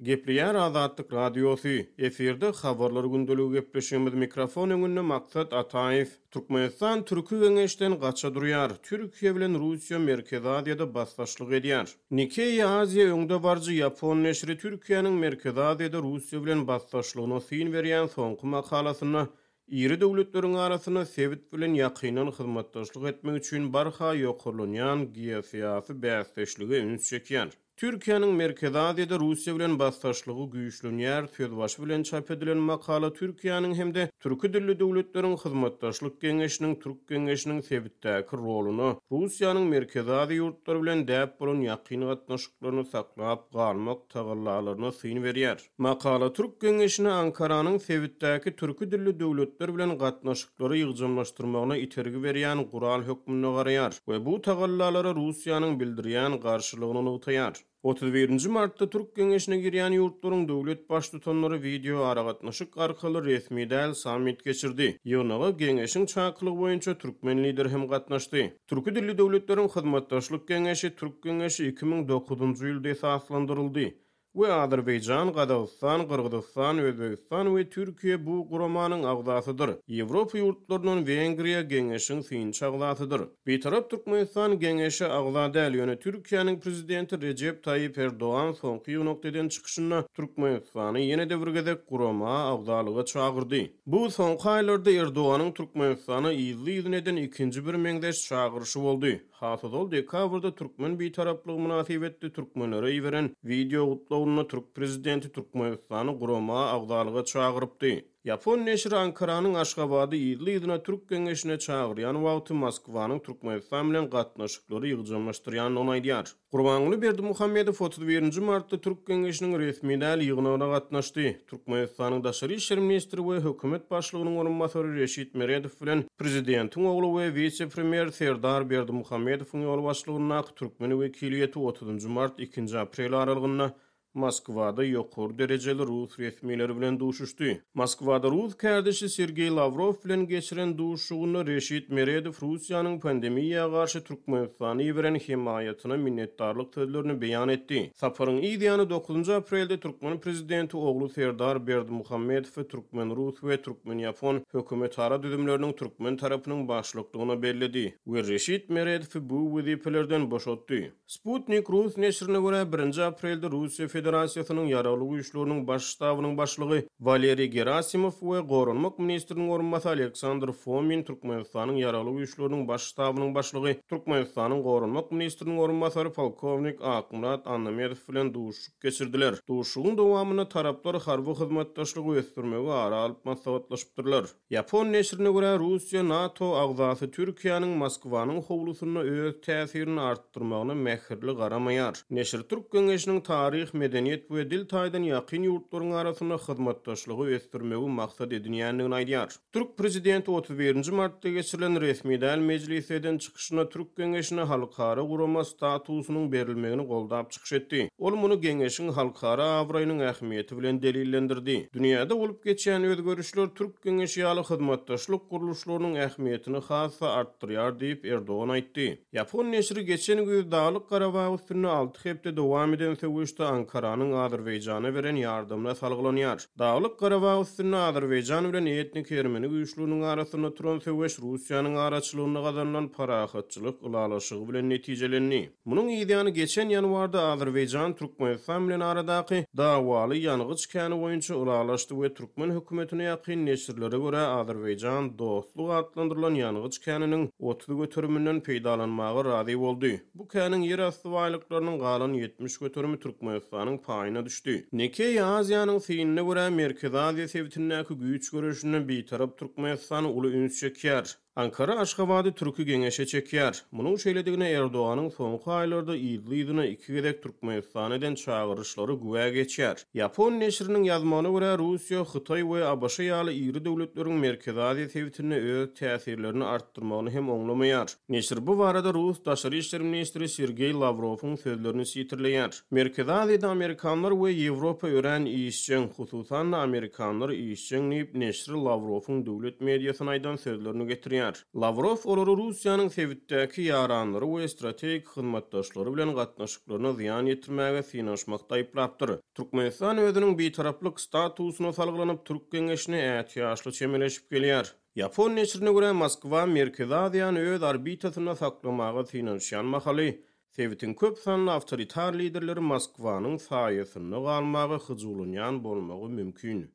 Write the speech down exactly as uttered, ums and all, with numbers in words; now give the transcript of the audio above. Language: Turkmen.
Gepleýär Azatlyk Radiosy, efirde Habarlar gündeligi gepleşigimiz, mikrofon öňünde Maksat Ataýew. Türkmenistan Türki Geňeşden gaça durýar. Türkiýe bilen Russiýa Merkezi Aziýada basdaşlyk edýär. Nikkei Aziýa öňdebaryjy ýapon neşiri Türkiýäniň Merkezi Aziýada Russiýa bilen basdaşlygyna syn berýän soňky makalasynda iri döwletleriň arasynda sebit bilen ýakyndan hyzmatdaşlyk etmek üçin barha ýokarlanýan geosyýasy bäsdeşlige üns çekýär. Türkiýäniň Merkezi Aziýada Russiýa bilen basdaşlygy güýçlenýär sözbaşy bilen çap edilen makala Türkiýäniň hem-de Türki dilli döwletleriň hyzmatdaşlyk geňeşiniň Türk geňeşiniň sebitdäki roluna Russiýanyň Merkezi Aziýa ýurtlary bilen däp bolan ýakyn gatnaşyklaryny saklap galmak tagallalaryna syn berýär. Makala Türk geňeşine Ankaranyň sebitdäki türki dilli döwletler bilen gatnaşyklary ýygjamlaşdyrmagyna itergi berýän gural hökmünde garaýar we bu tagallalara Russiýanyň bildirýän garşylygyny nygtaýar. otuz birinji martda Türk geňeşine girýän ýurtlaryň döwlet baştutanlary wideo aragatnaşyk arkaly resmi däl sammit geçirdi. Ýygnaga geňeşiň çakylygy boýunça türkmen lideri hem gatnaşdy. Türki dilli döwletleriň hyzmatdaşlyk geňeşi Türk geňeşi iki müň dokuzynjy ýylda esaslandyryldy we Azerbaýjan, Gazagystan, Gyrgyzystan, Özbegistan we Türkiýe bu guramanyň agzasydyr. Ýewropa ýurtlaryndan Wengriýa geňeşiň synçy agzasydyr. Bitarap Türkmenistan geňeşe agza däl, ýöne Türkiýäniň prezidenti Rejep Taýyp Erdogan soňky ýygnakda eden çykyşynda Türkmenistany ýene-de bir gezek gurama agzalyga çagyrdy. Bu soňky aýlarda Erdoganyň Türkmenistana yzly-yzyna eden ikinji bir meňzeş çagyryşy boldy. Hasazol dekabrda türkmen bitaraplygy mynasybetli türkmenlere iberen wideo gutlagynda türk prezidenti Türkmenistany gurama agzalyga çagyrypdy. Ýapon neşiri Ankaranyň Aşgabady yzly-yzyna Türk geňeşine çagyrýan wagty Moskwanyň Türkmenistan bilen gatnaşyklary ýygjamlaşdyrýandygyny aýdýar. Gurbanguly Berdimuhamedow otuz birinji martda Türk geňeşiniň resmi däl ýygnagyna gatnaşdy. Türkmenistanyň daşary işler ministri we hökümet başlygynyň orunbasary Reşit Meredow bilen prezidentiň ogly we wise-premýer Serdar Berdimuhamedowyň ýolbaşçylygyndaky türkmen wekiliýeti otuzynjy mart ikinji aprel aralygynda Moskwada ýokary derejeli rus resmileri bilen duşuşdy. Moskwada rus kärdeşi Sergeý Lawrow bilen geçiren duşuşygynda Reşit Meredow Russiýanyň pandemiýa garşy Türkmenistany iberen hemaýatyna minnetdarlyk sözlerini beýan etdi. Saparyň yz ýany dokuzynjy aprelde türkmen prezidenti ogly Serdar Berdimuhamedowy türkmen-rus we türkmen-ýapon hökümetara düzümleriniň türkmen tarapynyň başlyklygyna belledi we Reşit Meredowy bu wezipelerden boşatdy. Sputnik rus neşirine görä birinji aprelde Russiýa Federasiýasynyň ýaragly güýçleriniň baş ştabynyň başlygy Waleriý Gerasimow we Goranmak ministriniň orunbasary Aleksandr Fomin Türkmenistanyň ýaragly güýçleriniň baş ştabynyň başlygy Türkmenistanyň Goranmak ministriniň orunbasary polkownik Akmyrat Annamedow bilen duşuşyk geçirdiler. Duşuşygyň dowamynda taraplar harby hyzmatdaşlygy ösdürmegi ara alyp maslahatlaşypdyrlar. Ýapon neşirine görä Russiýa NATO agzasy Türkiýäniň Moskwanyň howlusynda öz täsirini artdyrmagyna mähirli garamaýar. Neşir Türk geňeşiniň taryh, medeniýet we dil taýdan ýakyn ýurtlaryň arasynda hyzmatdaşlygy ösdürmegi maksat edinýändigini aýdýar. Türk prezidenti otuz birinji martda geçirilen resmi däl mejlisde eden çykyşynda Türk geňeşine halkara gurama statusynyň berilmegini goldap çykyş etdi. Ol muny geňeşiň halkara abraýynyň ähmiýeti bilen delillendirdi. Dünýäde bolup geçýän özgerişler Türk geňeşi ýaly hyzmatdaşlyk gurluşlarynyň ähmiýetini has-da artdyrýar diýip Erdogan aýtdy. Ýapon neşiri geçen güýz Daglyk Garabag üstünde alty hepde dowam eden söweşde Ankaranyň Azerbaýjana beren ýardamyna salgylanýar. Daglyk Garabag üstünde Azerbaýjan bilen etnik ermeni güýçleriniň arasynda turan söweş Russiýanyň araçylygynda gazanylan parahatçylyk ylalaşygy bilen netijelendi. Munuň ýany geçen ýanwarda Azerbaýjan Türkmenistan bilen aradaky dawaly ýangyç käni boýunça ylalaşdy we türkmen hökümetine ýakyn neşirlere görä Azerbaýjan dostluk atlandyrylan ýangyç käniniň otuz göteriminden peýdalanmaga razy boldy. Bu käniň ýerasty baýlyklarynyň galan ýetmiş göterimi Türkmenistanyň paýyna düşdi. Nikkei Aziýanyň synyna görä Merkezi Aziýa sebitindäki güýç göreşinde bitarap Türkmenistan uly üns çekýär. Ankara Aşgabady Türki geňeşe çekýär. Munuň şeýledigine Erdoganyň soňky aýlarda yzly-yzyna iki gezek Türkmenistana eden çagyryşlary güwä geçýär. Ýapon neşiriniň ýazmagyna görä Russiýa, Hytaý we ABŞ ýaly iri döwletleriň Merkezi Aziýa sebitinde öz täsirlerini artdyrmagyny hem oňlamaýar. Neşir bu barada Rus daşary işler ministri Sergeý Lawrowyň sözlerini sitirleýär. Merkezi Aziýada Amerikanlar we Ýewropa örän işjeň, hususan-da Amerikanlar işjeň diýip neşir Lawrowyň döwlet mediasyna aýdan sözlerini getirýär. gelýär. Lawrow olary Russiýanyň sebitdäki ýaranlary we strategik hyzmatdaşlary bilen gatnaşyklaryna zyýan ýetirmäge synanyşmakda aýyplapdyr. Türkmenistan özüniň bitaraplyk statusyna salgylanyp Türk geňeşine ätiýaçly çemeleşip gelýär. Ýapon neşirine görä Moskwa Merkezi Aziýany öz orbitasynda saklamaga synanyşýan mahaly sebitiň köp sanly awtoritar liderleri Moskwanyň saýasynda galmaga hyjuwlanýan bolmagy mümkin.